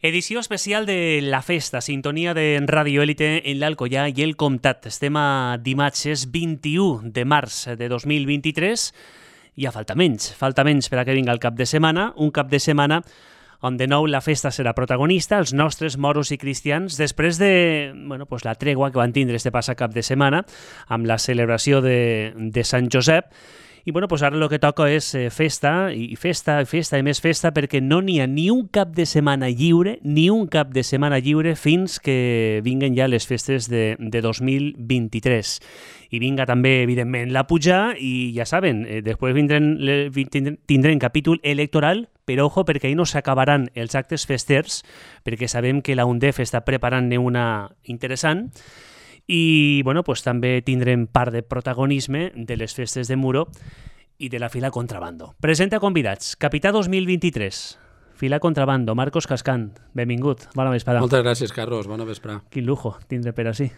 Edició especial de La Festa, sintonia de Radio Élite en l'Alcoià i el Comtat. Estem a dimarts 21 de març de 2023 i ja falta menys per a que vinga el cap de setmana, un cap de setmana on de nou la festa serà protagonista, els nostres moros i cristians, després de la tregua que van tindre este passat cap de setmana amb la celebració de Sant Josep. I ara el que toca és festa i més festa, perquè no n'hi ha ni un cap de setmana lliure fins que vinguen ja les festes de 2023. I vinga també, evidentment, la puja i ja saben, després tindrem capítol electoral, però ojo, perquè ahir no s'acabaran els actes festers, perquè sabem que la UNDEF està preparant-ne una interessant. I també tindrem part de protagonisme de les festes de Muro i de la fila Contrabando. Presenta convidats. Capità 2023, fila Contrabando, Marcos Cascant. Benvingut, bona vesprada. Moltes gràcies, Carlos, bona vesprada. Quin lujo tindre per així.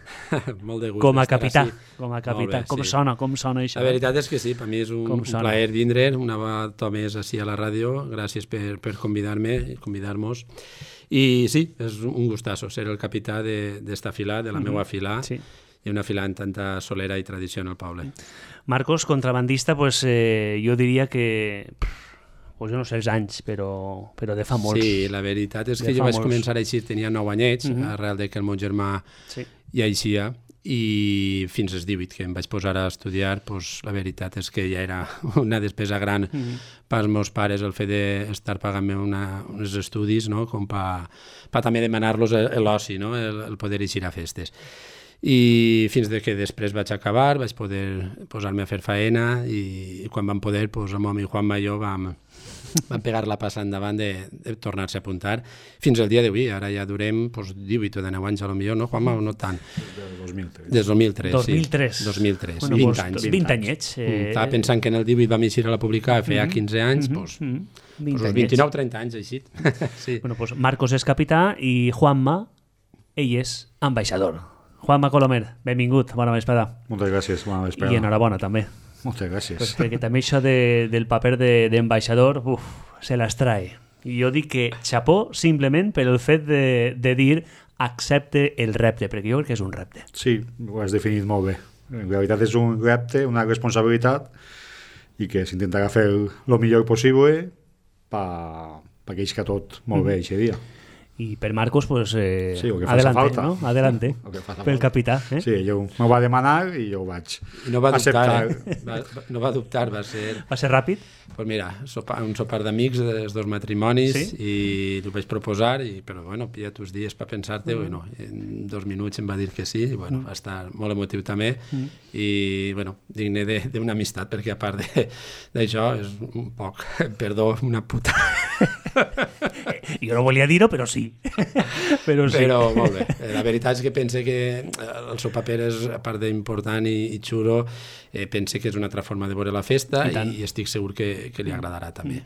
Molt de gust com a capità. Bé, com sí. sona això? La veritat és que sí, per mi és un plaer vindre una vegada més així a la ràdio. Gràcies per convidar-me i convidar-nos. I sí, és un gustazo ser el capità d'esta fila, de la meva fila, sí. I una fila amb tanta solera i tradició en el poble. Marcos, contrabandista, jo diria que... jo no sé els anys, però de fa molts. Sí, la veritat és que jo vaig començar així, tenia 9 anyets, arrel de que el meu germà ja eixia, i fins als 18 que em vaig posar a estudiar, la veritat és que ja era una despesa gran pels meus pares el fet d'estar pagant-me uns estudis, no? Com per també demanar-los l'oci, no? El poder eixir a festes. I fins que després vaig acabar, vaig poder posar-me a fer faena i quan vam poder, el meu amic Juanma i jo vam pegar la passa endavant de tornar-se a apuntar fins al dia d'avui. Ara ja durem 18 o 19 anys, potser, no, Juanma, o no tant? Des del 2003. 2003, 20 anys. 20 anyets. Estava pensant que en el 18 vam eixir a la publicar, feia 15 anys, uns 29-30 anys, així. Marcos és capità i Juanma, ell és ambaixador. Juanma Colomer, benvingut, bona vesprada. Moltes gràcies, bona vesprada. I enhorabona, també. Moltes gràcies. Perquè també això del paper d'ambaixador, se les trae. I jo dic que xapó simplement per el fet de dir accepte el repte, perquè jo crec que és un repte. Sí, ho has definit molt bé. En realitat és un repte, una responsabilitat, i que s'intentarà fer el millor possible perquè isca tot molt bé aquest dia. I per Marcos, sí, adelante, ¿no? Adelante, pel capità. Sí, ell m'ho va demanar i jo ho vaig no va acceptar. No va dubtar, va ser... Va ser ràpid? Pues mira, un sopar d'amics dels dos matrimonis, i ho vaig proposar, però pilla tus dies per pensar-te, en 2 minuts em va dir que sí, i va estar molt emotiu també, i digne d'una amistat, perquè a part d'això és un poc, perdó, una puta. Jo no volia dir-ho, però sí. Però molt bé. La veritat és que pense que el seu paper és, a part d'important i xulo, pense que és una altra forma de veure la festa i estic segur que li agradarà també.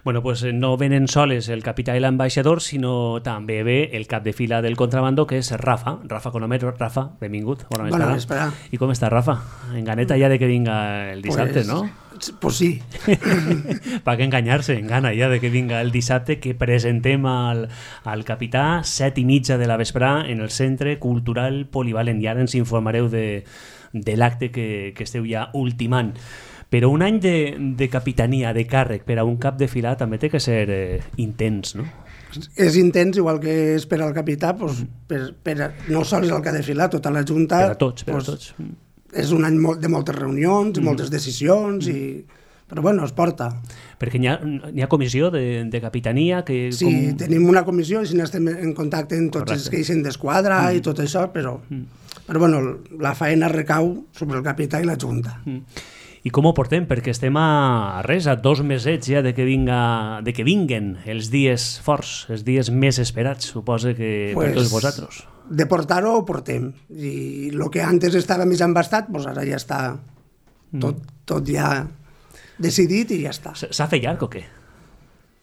No venen soles el capità i l'ambaixador, sinó també ve el cap de fila del contrabando, que és Rafa Colomer. Rafa, benvingut. Bona vesprada. I com està, Rafa? En ganeta ja de que vinga el dissabte, no? Pues sí. Per què enganyar-se? En gana ja de que vinga el dissabte, que presentem al capità 7:30 de la vesprada en el Centre Cultural Polivalent. I ara ens informareu de l'acte que esteu ja ultimant. Però un any de capitania, de càrrec, per a un cap de fila també té que ser intens, no? És intens, igual que és per al capità, no sols el cap de fila, tota la Junta... Per a tots. És un any de moltes reunions, moltes decisions, però es porta. Perquè hi ha comissió de capitania que... Sí, tenim una comissió i estem en contacte amb tots els que eixen d'esquadra i tot això, però la feina recau sobre el capità i la Junta. I com ho portem? Perquè estem a 2 mesets ja de que vinguen els dies forts, els dies més esperats, suposo que per tots vosaltres. De portar-ho ho portem. I el que antes estava més embastat, ara ja està tot ja decidit i ja està. S'ha fet llarg o què?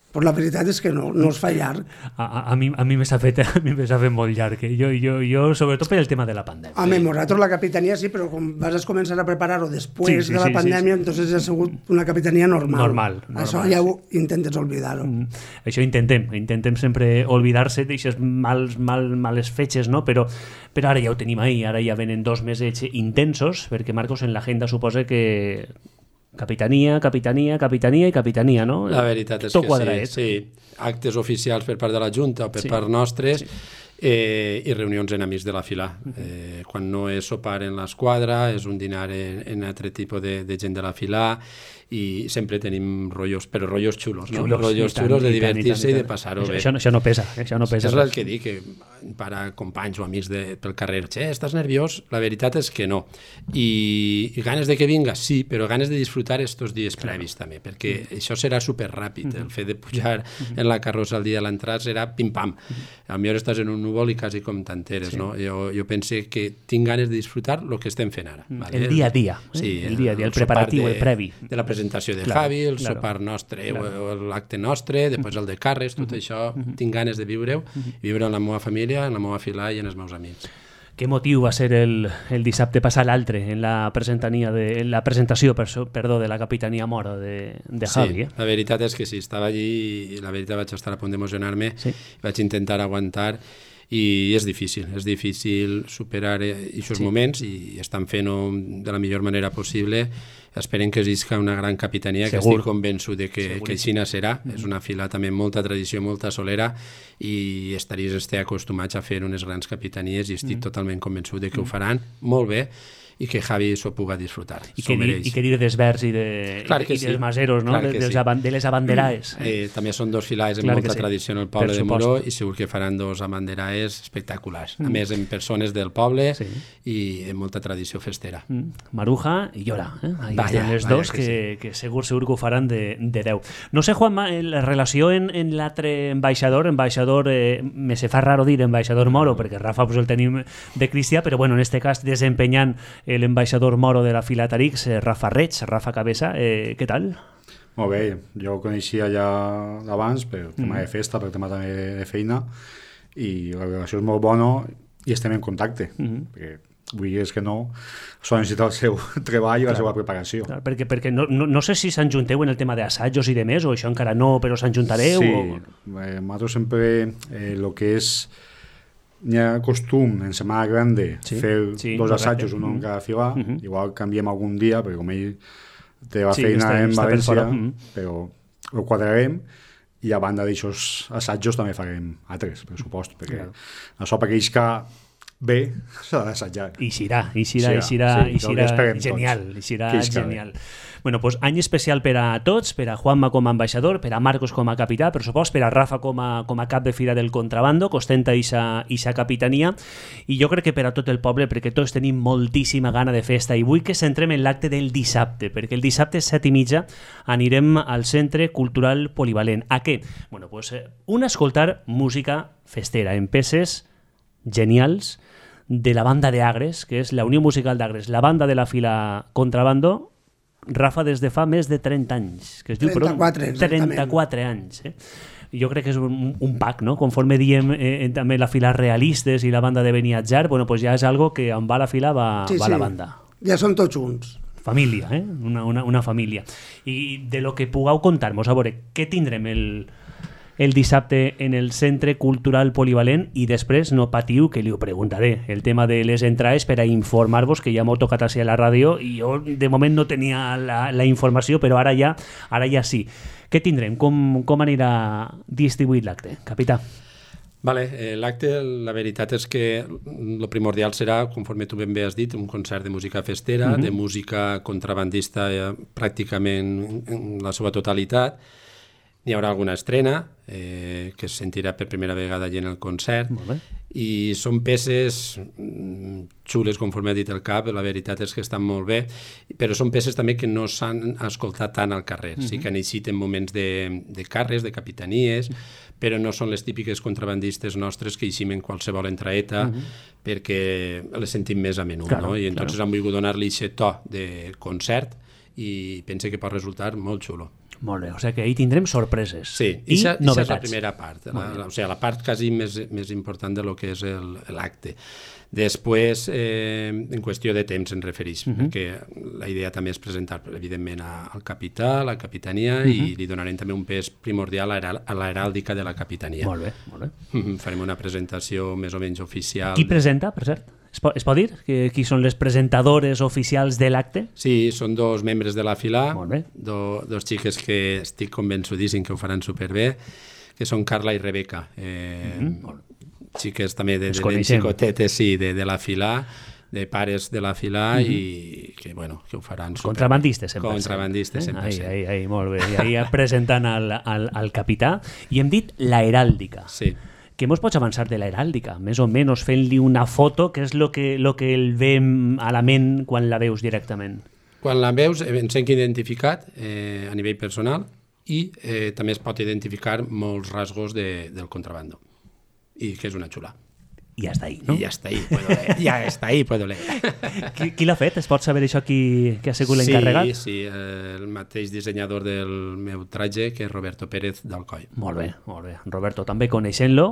Però la veritat és que no es fa llarg. A mi me s'ha fet molt llarg. Jo, sobretot per el tema de la pandèmia. Home, nosaltres la capitania sí, però com vas començar a preparar-ho després de la pandèmia, entonces ha sigut una capitania normal. Això ja ho intentes oblidar-ho. Això intentem sempre oblidar-se d'aixes males fetges, no? Però ara ja ho tenim ahí, ara ja venen 2 mesos intensos, perquè, Marcos, en l'agenda suposa que capitania, no? La veritat és que sí. Actes oficials per part de la Junta o per part nostres i reunions en amics de la fila. Quan no és sopar en l'esquadra, és un dinar en altre tipus de gent de la fila i sempre tenim rotllos, però rotllos xulos, no? Rotllos xulos de divertir-se i de passar-ho bé. Això no pesa. És el que dic, que para companys o amics pel carrer, estàs nerviós? La veritat és que no. I ganes de que vinga, sí, però ganes de disfrutar estos dies previs també, perquè això serà superràpid. El fet de pujar en la carrossa el dia de l'entrada serà pim-pam. A mi ara estàs en un núvol i quasi com t'enteres, no? Jo pense que tinc ganes de disfrutar el que estem fent ara. El dia a dia, el preparatiu, el previ. De la presentació de Javi, el sopar nostre o l'acte nostre, després el de Carles, tot això tinc ganes de viure-ho, viure amb la meva família, en la meva fila i en els meus amics. Què motiu va ser el dissabte passat l'altre en la presentació de la capitania moro de Javi? Sí, la veritat és que sí, estava allí i la veritat vaig estar a punt d'emocionar-me, vaig intentar aguantar i és difícil superar aquests moments i estan fent-ho de la millor manera possible. Esperem que existisca una gran capitania, que estic convençut de que així serà. És una fila també amb molta tradició, molta solera i estaries acostumats a fer unes grans capitanies i estic totalment convençut de que ho faran molt bé i que Javi s'ho puga disfrutar. I que dir dels Verds i dels Maseros, no? De les abanderaes. També són 2 filades amb molta tradició en el poble de Moró i segur que faran 2 abanderaes espectaculars. A més, en persones del poble i amb molta tradició festera. Maruja i Llora. Ahí tenen les 2 que segur que ho faran de 10. No sé, Juanma, la relació en l'altre ambaixador, me se fa raro dir ambaixador moro, perquè Rafa el tenim de cristià, però bueno, en este cas desempenyant el ambaixador moro de la fila Tarix, Rafa Reig, Rafa Cabeza, què tal? Molt bé, jo ho coneixia ja d'abans per tema de festa, per tema també de feina, i la relació és molt bona i estem en contacte, perquè vull dir que no, s'ha necessitat el seu treball i la seva preparació. Perquè no sé si s'enjunteu en el tema d'assajos i de més, o això encara no, però s'enjuntareu? Sí, nosaltres sempre el que és n'hi ha costum en Setmana Grande fer 2 assajos, un en cada fila, igual canviem algun dia, perquè com ell té la feina en València, però ho quadrarem i a banda d'aixòs assajos també farem altres, per supost, perquè això per aquells que bé s'ha d'assajar. I serà genial. Bueno, pues any especial per a tots, per a Juanma com a ambaixador, per a Marcos com a capità, per supost, per a Rafa com a cap de fila del contrabando, que ostenta eixa capitania, i jo crec que per a tot el poble, perquè tots tenim moltíssima gana de festa, i vull que centrem en l'acte del dissabte, perquè el dissabte 7:30 anirem al Centre Cultural Polivalent. A què? Bueno, pues escoltar música festera, en peces genials de la banda de Agres, que és la Unió Musical d'Agres, la banda de la fila Contrabando, Rafa, des de fa més de 30 anys. Que es diu, 34 anys. Jo crec que és un pack, no? Conforme diem també la fila Realistes i la banda de Beniatjar, bueno, pues ja és algo que on va la fila va la banda. Ja són tots junts. Família, una família. I de lo que pugueu contar-nos, a veure, què tindrem el dissabte en el Centre Cultural Polivalent i després no patiu que li ho preguntaré. El tema de les entrades per a informar-vos, que ja m'ho tocat així a la ràdio i jo de moment no tenia la informació, però ara ja sí. Què tindrem? Com anirà distribuït l'acte, capità? Vale, l'acte, la veritat és que el primordial serà, conforme tu ben bé has dit, un concert de música festera, de música contrabandista pràcticament en la seva totalitat. Hi haurà alguna estrena que es sentirà per primera vegada allà en el concert i són peces xules, conforme ha dit el cap, la veritat és que estan molt bé, però són peces també que no s'han escoltat tant al carrer. Sí que necessiten moments de carres, de capitanies, però no són les típiques contrabandistes nostres que eixim en qualsevol entraeta perquè les sentim més a menú. I entonces han volgut donar-li aquest to de concert i pense que pot resultar molt xulo. Molt bé, o sigui que ahir tindrem sorpreses. Sí, i novetats. És la primera part, o sigui, la part quasi més important de lo que és l'acte. Després, en qüestió de temps en refereix, perquè la idea també és presentar, evidentment, al capità, a la capitania, i li donarem també un pes primordial a l'heràldica de la capitania. Molt bé, molt bé. Farem una presentació més o menys oficial. Qui presenta, per cert? Es pot dir? Qui són les presentadores oficials de l'acte? Sí, són dos membres de la fila, Molt bé. Dos xiques que estic convençudíssim que ho faran superbé, que són Carla i Rebeca. Xiques també de xicotetes, sí, de la fila, de pares de la fila, i que, bueno, que ho faran super... Contrabandistes, 100%. Contrabandistes, 100%. Ai, molt bé. I ahí presentant al capità. I hem dit la heràldica. Sí. Què mos pots avançar de la heràldica? Més o menys fent-li una foto, que és el que el vem a la ment quan la veus directament. Quan la veus, ens hem identificat a nivell personal, i també es pot identificar molts rasgos del contrabando. I que és una xula. I ja està ahí, no? I ja està ahí, puedo leer. Qui l'ha fet? Es pot saber això qui ha sigut l'encarregat? Sí, el mateix dissenyador del meu traje, que és Roberto Pérez d'Alcoi. Molt bé, molt bé. Roberto, també coneixent-lo,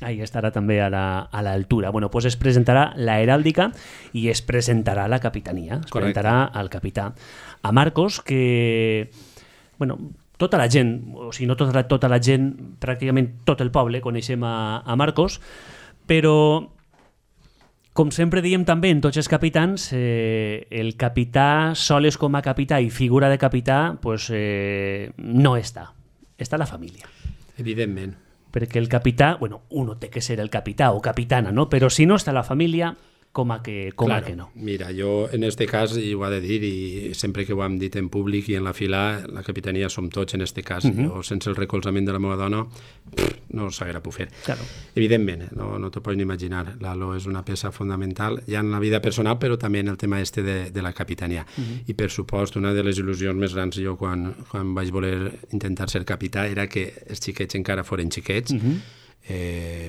ahí estarà també a l'altura. Bueno, pues es presentarà la heràldica i es presentarà la capitania. Es presentarà al capità. A Marcos, que... Bueno, tota la gent, o sigui, no tota la gent, pràcticament tot el poble coneixem a Marcos, però, com sempre diem també en tots els capitans, el capità soles com a capità i figura de capità pues, no està. Està la família. Evidentment. Perquè el capità, bueno, uno té que ser el capità o capitana, no? Però si no està la família, com a que no. Mira, jo en este cas, i ho he de dir, i sempre que ho hem dit en públic i en la fila, la capitania som tots en este cas. Jo, sense el recolzament de la meva dona, no s'haguera pogut fer. Claro. Evidentment, no t'ho pots ni imaginar. L'Alo és una peça fundamental, ja en la vida personal, però també en el tema de la capitania. I per supost, una de les il·lusions més grans jo quan vaig voler intentar ser capità era que els xiquets encara foren xiquets.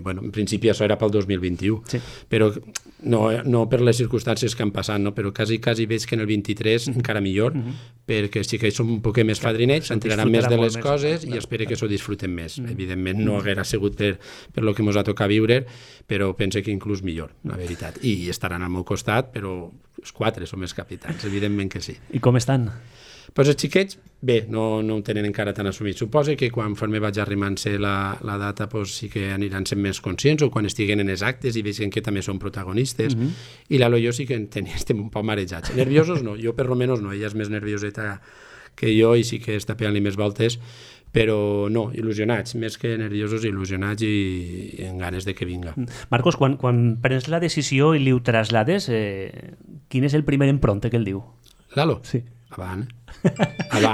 Bueno, en principi això era pel 2021, sí. Però no per les circumstàncies que han passat, no? Però quasi veig que en el 23 encara millor, perquè els xiquets són un poc més fadrinets, s'enteraran més de les coses i espero que s'ho disfruten més. Evidentment no haguera sigut per el que ens ha tocat viure, però penso que inclús millor, la veritat. I estaran al meu costat, però els 4 som els capitans, evidentment que sí. I com estan? Pues els xiquets, bé, no ho tenen encara tan assumit. Suposo que quan me vaig arrimant-se la data pues, sí que aniran sent més conscients, o quan estiguen en els actes i vegin que també són protagonistes. I l'Alo i jo sí que estem un poc marejats. Nerviosos no, jo per lo menos no, ella és més nervioseta que jo i sí que està pegant-li més voltes, però no, il·lusionats, més que nerviosos, il·lusionats i en ganes de que vinga. Marcos, quan prens la decisió i li ho traslades, quin és el primer empronte que el diu? L'Alo? Sí. Avant,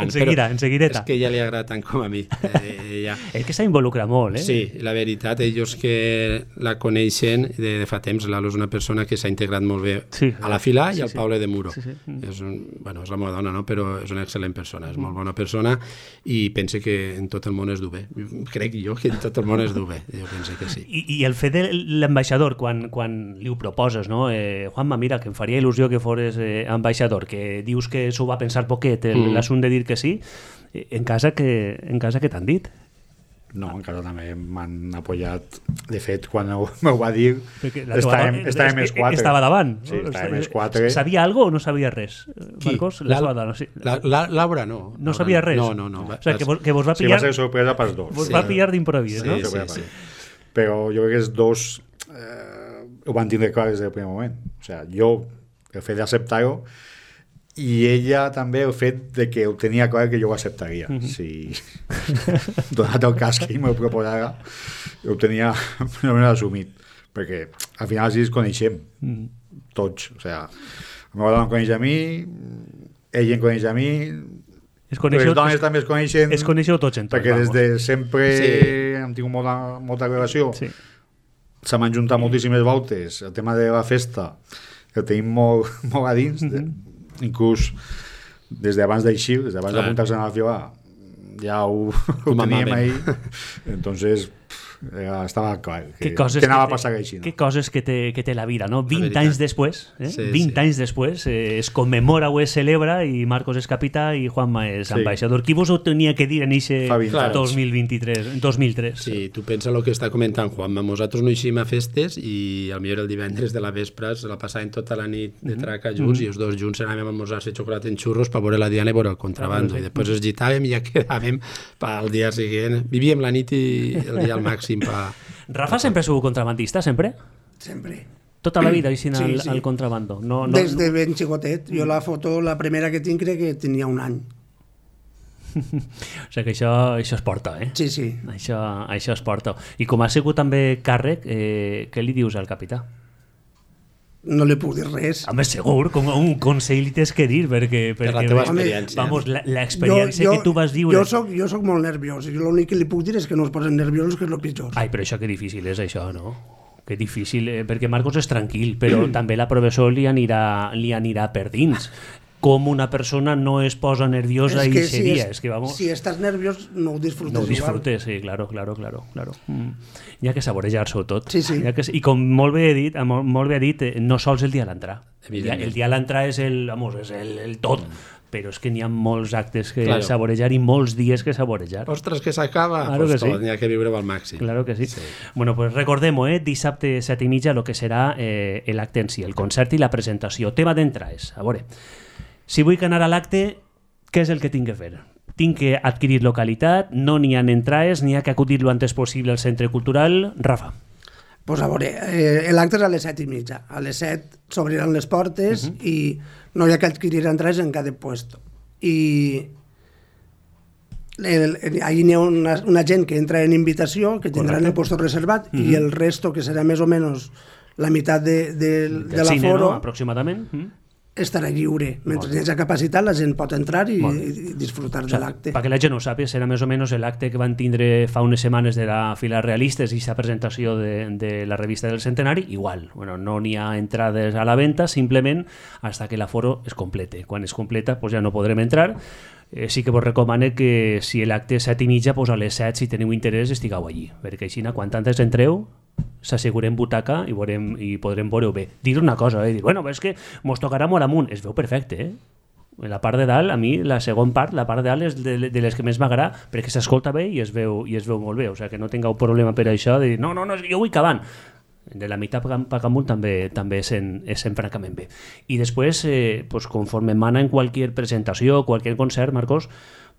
en seguideta. És que ja li agrada tant com a mi. És que s'ha involucrat molt, Sí, la veritat, ells que la coneixen de fa temps, l'Alo és una persona que s'ha integrat molt bé a la fila i al Poble de Muro. És la meva dona, no? Però és una excel·lent persona, és molt bona persona i pense que en tot el món es du bé. Crec jo que en tot el món es du bé, jo penso que sí. I el fet de l'ambaixador, quan li ho proposes, no? Juanma, mira, que em faria il·lusió que fores ambaixador, que dius que s'ho va pensar poquet, l'assumpte de dir que sí, en casa que t'han dit? No, encara també m'han apoyat. De fet, quan m'ho va dir, estàvem els 4. Estava davant. Sí, estàvem els 4. Sabia alguna cosa o no sabia res? Marcos, Laura no. No sabia res? No. O sigui, que vos va pillar... Sí, va ser sorpresa pels dos. Vos va pillar d'improvís, no? Sí. Però jo crec que els dos ho van tindre clar des del primer moment. O sigui, jo, el fet d'acceptar-ho, i ella també el fet de que ho tenia clar que jo ho acceptaria. Si donat el cas que ell m'ho proposara, ho tenia assumit, perquè al final sí ens coneixem tots, o sigui, la meva dona em coneix a mi, ell em coneix a mi, les dones també es coneixen, coneixeu tots en tot, perquè des de sempre hem tingut molta relació, se m'han juntat moltíssimes voltes, el tema de la festa el tenim molt a dins, inclús des d'abans d'així, des d'abans d'apuntar-se a la fila, ja ho teníem ahí. Entonces, estava clar que anava a passar així. Que coses que té la vida, no? 20 anys després, 20 anys després, es commemora o es celebra i Marcos és capità i Juanma és ambaixador. Qui vos ho tenia que dir en eixe 2003? Sí, tu pensa el que està comentant Juanma. Nosaltres no eixim a festes i al millor el divendres de la vespre se la passàvem tota la nit de traca junts i els dos junts anàvem a almorzar-se xocolata en xurros per veure la Diana i veure el contrabando. I després es gitàvem i ja quedàvem pel dia següent. Vivíem la nit i el dia al màxim. Rafa sempre ha sigut contrabandista, sempre? Sempre. Tota la vida així al contrabando? Des de ben xicotet. Jo la foto, la primera que tinc, crec que tenia un any. O sigui que això es porta, eh? Sí, sí. Això es porta. I com ha sigut també càrrec, què li dius al capità? No li puc dir res. Home, segur, com un consell li tens que dir, perquè per la teva experiència. Vamos, l'experiència que tu vas viure... Jo soc molt nerviós, i l'únic que li puc dir és que no es posen nerviosos, que és el pitjor. Ai, però això que difícil és, això, no? Que difícil, perquè Marcos és tranquil, però també la professor li anirà per dins. Com una persona no es posa nerviosa i se dia. Si estàs nerviós, no ho disfrutes. No ho disfrutes, sí, claro. Hi ha que saborejar-s'ho tot. Sí. I com molt bé ha dit, no sols el dia a l'entrar. El dia a l'entrar és el tot. Però és que n'hi ha molts actes que saborejar i molts dies que saborejar. Ostres, que s'acaba! Claro que sí. N'hi ha que viure-ho al màxim. Claro que sí. Bueno, pues recordem-ho, dissabte 7:30, el que serà l'acte en si, el concert i la presentació. Tema d'entrades, a veure. Si vull anar a l'acte, què és el que tinc que fer? Tinc que adquirir localitat, no n'hi ha entrades, n'hi ha que acudir lo antes possible al centre cultural. Rafa. Pues a veure, l'acte és a les 7:30. A les 7 s'obriran les portes i no hi ha que adquirir entrades en cada puesto. I allí n'hi ha una gent que entra en invitació, que tindran el puesto reservat, i el resto, que serà més o menys la meitat de l'aforo, no? Aproximadament. Estarà lliure. Mentre hi hagi capacitat, la gent pot entrar i disfrutar de l'acte. Perquè la gent ho sàpiga, serà més o menys l'acte que van tindre fa unes setmanes de la Fila Realistes i la presentació de la revista del centenari, igual. Bueno, no n'hi ha entrades a la venda, simplement hasta que l'aforo es complete. Quan es completa, pues ja no podrem entrar. Sí que vos recomano que si l'acte és 7:30, pues a les 7, si teniu interès, estigueu allí. Perquè així, quan antes entreu, s'assegurem butaca i podrem veure-ho bé. Dir una cosa, dir, bueno, és que mos tocarà molt amunt. Es veu perfecte, En la part de dalt, a mi, la segona part, la part de dalt és de les que més m'agrada, perquè s'escolta bé i es veu molt bé. O sigui, que no tingueu problema per això de dir, no, jo vull cavant. De la meitat per amunt també és francament bé. I després, pues, conforme mana en qualsevol presentació, qualsevol concert, Marcos,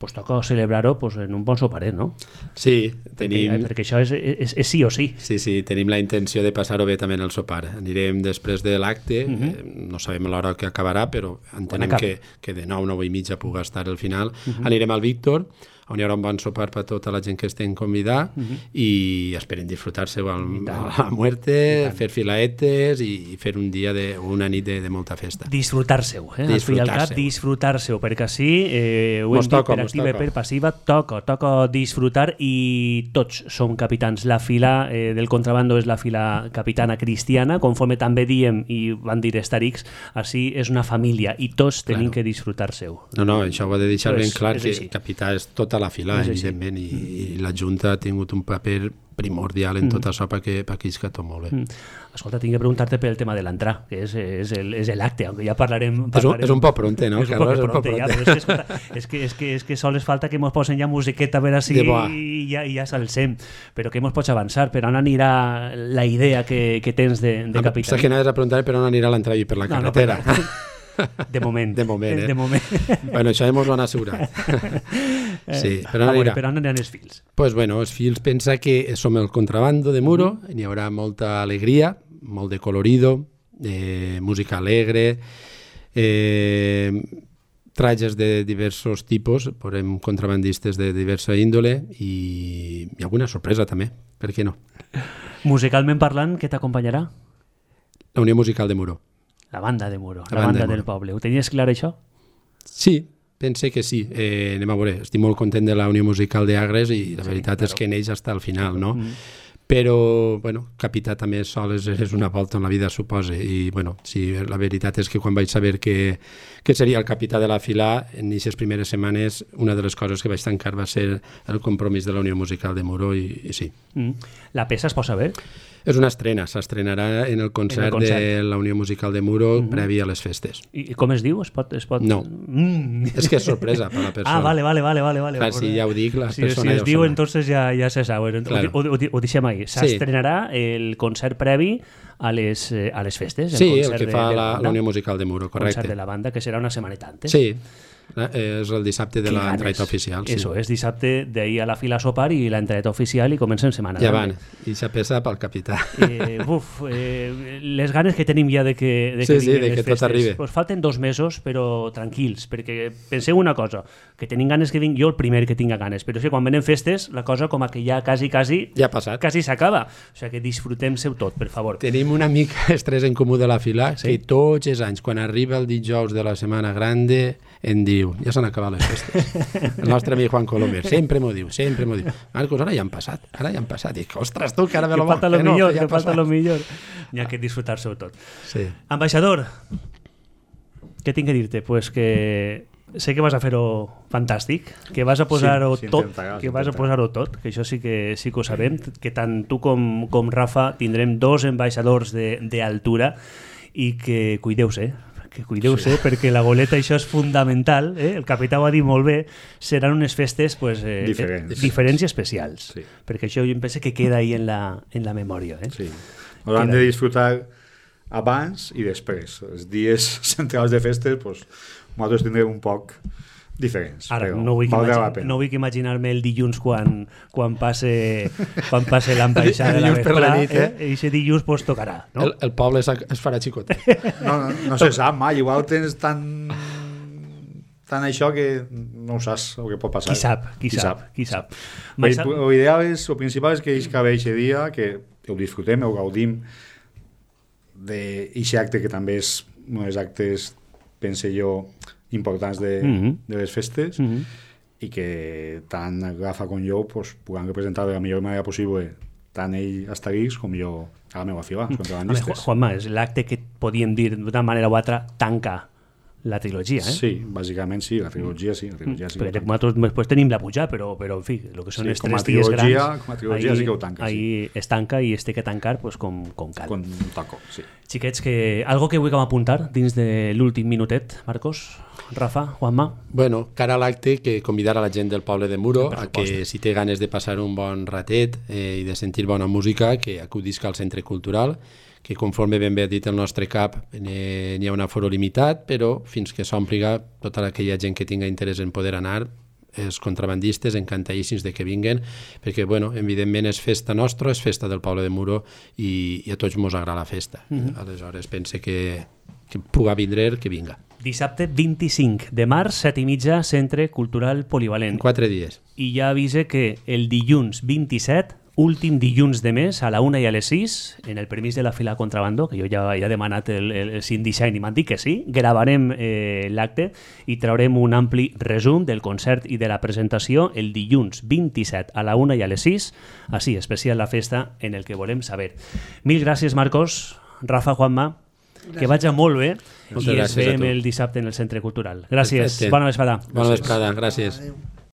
pues toca celebrar-ho pues, en un bon soparet, no? Sí, tenim... Perquè això és sí o sí. Sí, tenim la intenció de passar-ho bé també en el sopar. Anirem després de l'acte, no sabem l'hora que acabarà, però entenem que de 9:30 pugui estar el final. Anirem al Víctor, on hi haurà un bon sopar per tota la gent que estem convidar i esperen disfrutar-se a la muerte, fer filaetes i fer un dia una nit de molta festa. Disfrutar-se-ho, al fi i al cap, disfrutar-se-ho, perquè així ho hem dit per activa i per passiva, toca disfrutar i tots som capitans. La fila del contrabando és la fila capitana cristiana, conforme també diem i van dir Starix, així és una família i tots tenim que disfrutar-se-ho. No, això ho he de deixar ben clar, que el capità és tota la fila, evidentment, i la Junta ha tingut un paper primordial en tot això perquè isca tot molt bé. Escolta, tinc que preguntar-te pel tema de l'entrar, que és l'acte, aunque ja parlarem... És un poc pronte, no, Carlos? És un poc pronte, és que sols falta que mos posen ja musiqueta a veure si ja s'alcem, però que mos pots avançar, per on anirà la idea que tens de capità? Saps que anaves a preguntar per on anirà l'entrada i per la carretera. De moment. Bueno, això hemos ho han assegurat. Sí, per on aniran els fils? Pues bueno, els fils pensa que som el contrabando de Muro, n'hi haurà molta alegria, molt de colorido, música alegre, trajes de diversos tipus, veurem contrabandistes de diversa índole i alguna sorpresa també, per què no? Musicalment parlant, què t'acompanyarà? La Unió Musical de Muro. La banda de Muro, la banda del poble. Ho tenies clar, això? Sí, pense que sí. Anem a veure, estic molt content de la Unió Musical d'Agres i la veritat és que neix fins al final, no? però, bueno, capità també sol és una volta en la vida, suposa, i, bueno, sí, la veritat és que quan vaig saber que seria el capità de la fila, en aquestes primeres setmanes, una de les coses que vaig tancar va ser el compromís de la Unió Musical de Muro, i sí. La peça es pot saber? És una estrena, s'estrenarà en el concert de la Unió Musical de Muro previ a les festes. I com es diu? Es pot... No, és que és sorpresa per la persona. Vale. Clar, si ja ho dic, la persona si es diu, entonces ja se sabe. Claro. Ho deixem ahí. S'estrenarà el concert previ a les festes. Sí, el que fa la Unió Musical de Muro, correcte. El concert de la banda, que serà una setmaneta antes. Sí, és el dissabte de l'entrada oficial. Sí. Eso, és dissabte d'ahir a la fila a sopar i l'entrada oficial i comencem setmana. Ja van, i ja pesa pel capità. Les ganes que tenim ja de que vinguin les festes. Tot arribi. Pues falten 2 mesos, però tranquils, perquè penseu una cosa, que tenim ganes que vingui, jo el primer que tinga ganes, però és que quan venen festes la cosa com que ja quasi ja ha passat. Quasi s'acaba. O sigui que disfrutem-seu tot, per favor. Tenim una mica estrès en comú de la fila, que tots els anys, quan arriba el dijous de la Setmana Grande, em diu, ja s'han acabat les festes. El nostre amic Juan Colomer sempre m'ho diu. Marcos, ara ja han passat. Dic, ostres, tu, que ara ve lo bo. Que falta lo millor. N'hi ha que disfrutar-se tot. Sí. Ambaixador, què tinc que dir-te? Pues que sé que vas a fer-ho fantàstic, que vas a posar-ho tot, que això sí que ho sabem, que tant tu com Rafa tindrem 2 ambaixadors d'altura i que cuideu-se, perquè la goleta això és fundamental, el capità ho ha dit molt bé, seran unes festes diferents i especials, perquè això jo em penso que queda ahí en la memòria. Sí, ho hem de disfrutar abans i després. Els dies centrals de festes nosaltres tindrem un poc diferents. Ara, no vull imaginar-me el dilluns quan passe l'ambaixada de la vesprada, i aquest dilluns tocarà. No? El poble es farà xicotet. No se sap mai, igual tens tant això que no saps el que pot passar. Qui sap. El principal és que aquest dia que ho disfrutem, ho gaudim d'aquest acte que també és un dels actes, pense jo, importants de les festes, i que tant Rafa com jo puguem representar de la millor manera possible tant ell a Estarís com jo a la meva fila, els contrabandistes. Juanma, és l'acte que podíem dir d'una manera o altra tanca la trilogia, Sí, bàsicament sí, la trilogia sí. Perquè nosaltres després tenim la pujar, però en fi, el que són els 3 dies grans, com a trilogia sí que ho tanca. Ahí es tanca i es té que tancar com cal. Con taco, sí. Xiquets, algo que vulguem apuntar dins de l'últim minutet, Marcos, Rafa, Juanma? Bueno, cara a l'acte, que convidar a la gent del poble de Muro a que si té ganes de passar un bon ratet i de sentir bona música, que acudisca al Centre Cultural, que conforme ben bé ha dit el nostre cap n'hi ha un aforo limitat, però fins que s'ompliga tota aquella gent que tinga interès en poder anar, els contrabandistes encantadíssims de que vinguen, perquè, bueno, evidentment és festa nostra, és festa del poble de Muro i a tots mos agrada la festa. Aleshores, pense que puga vindre, que vinga. Dissabte 25 de març, 7:30, Centre Cultural Polivalent. 4 dies. I ja avise que el dilluns 27, últim dilluns de mes, a la 1 i a les 6, en el permís de la fila contrabando, que jo ja he demanat el Syndesign i m'han dit que sí, gravarem l'acte i traurem un ampli resum del concert i de la presentació el dilluns 27 a la 1 i a les 6, així, especial la festa en el que volem saber. Mil gràcies, Marcos, Rafa, Juanma, que vagi molt bé i ens veiem el dissabte en el Centre Cultural. Gràcies, bona vesprada. Bona vesprada, gràcies.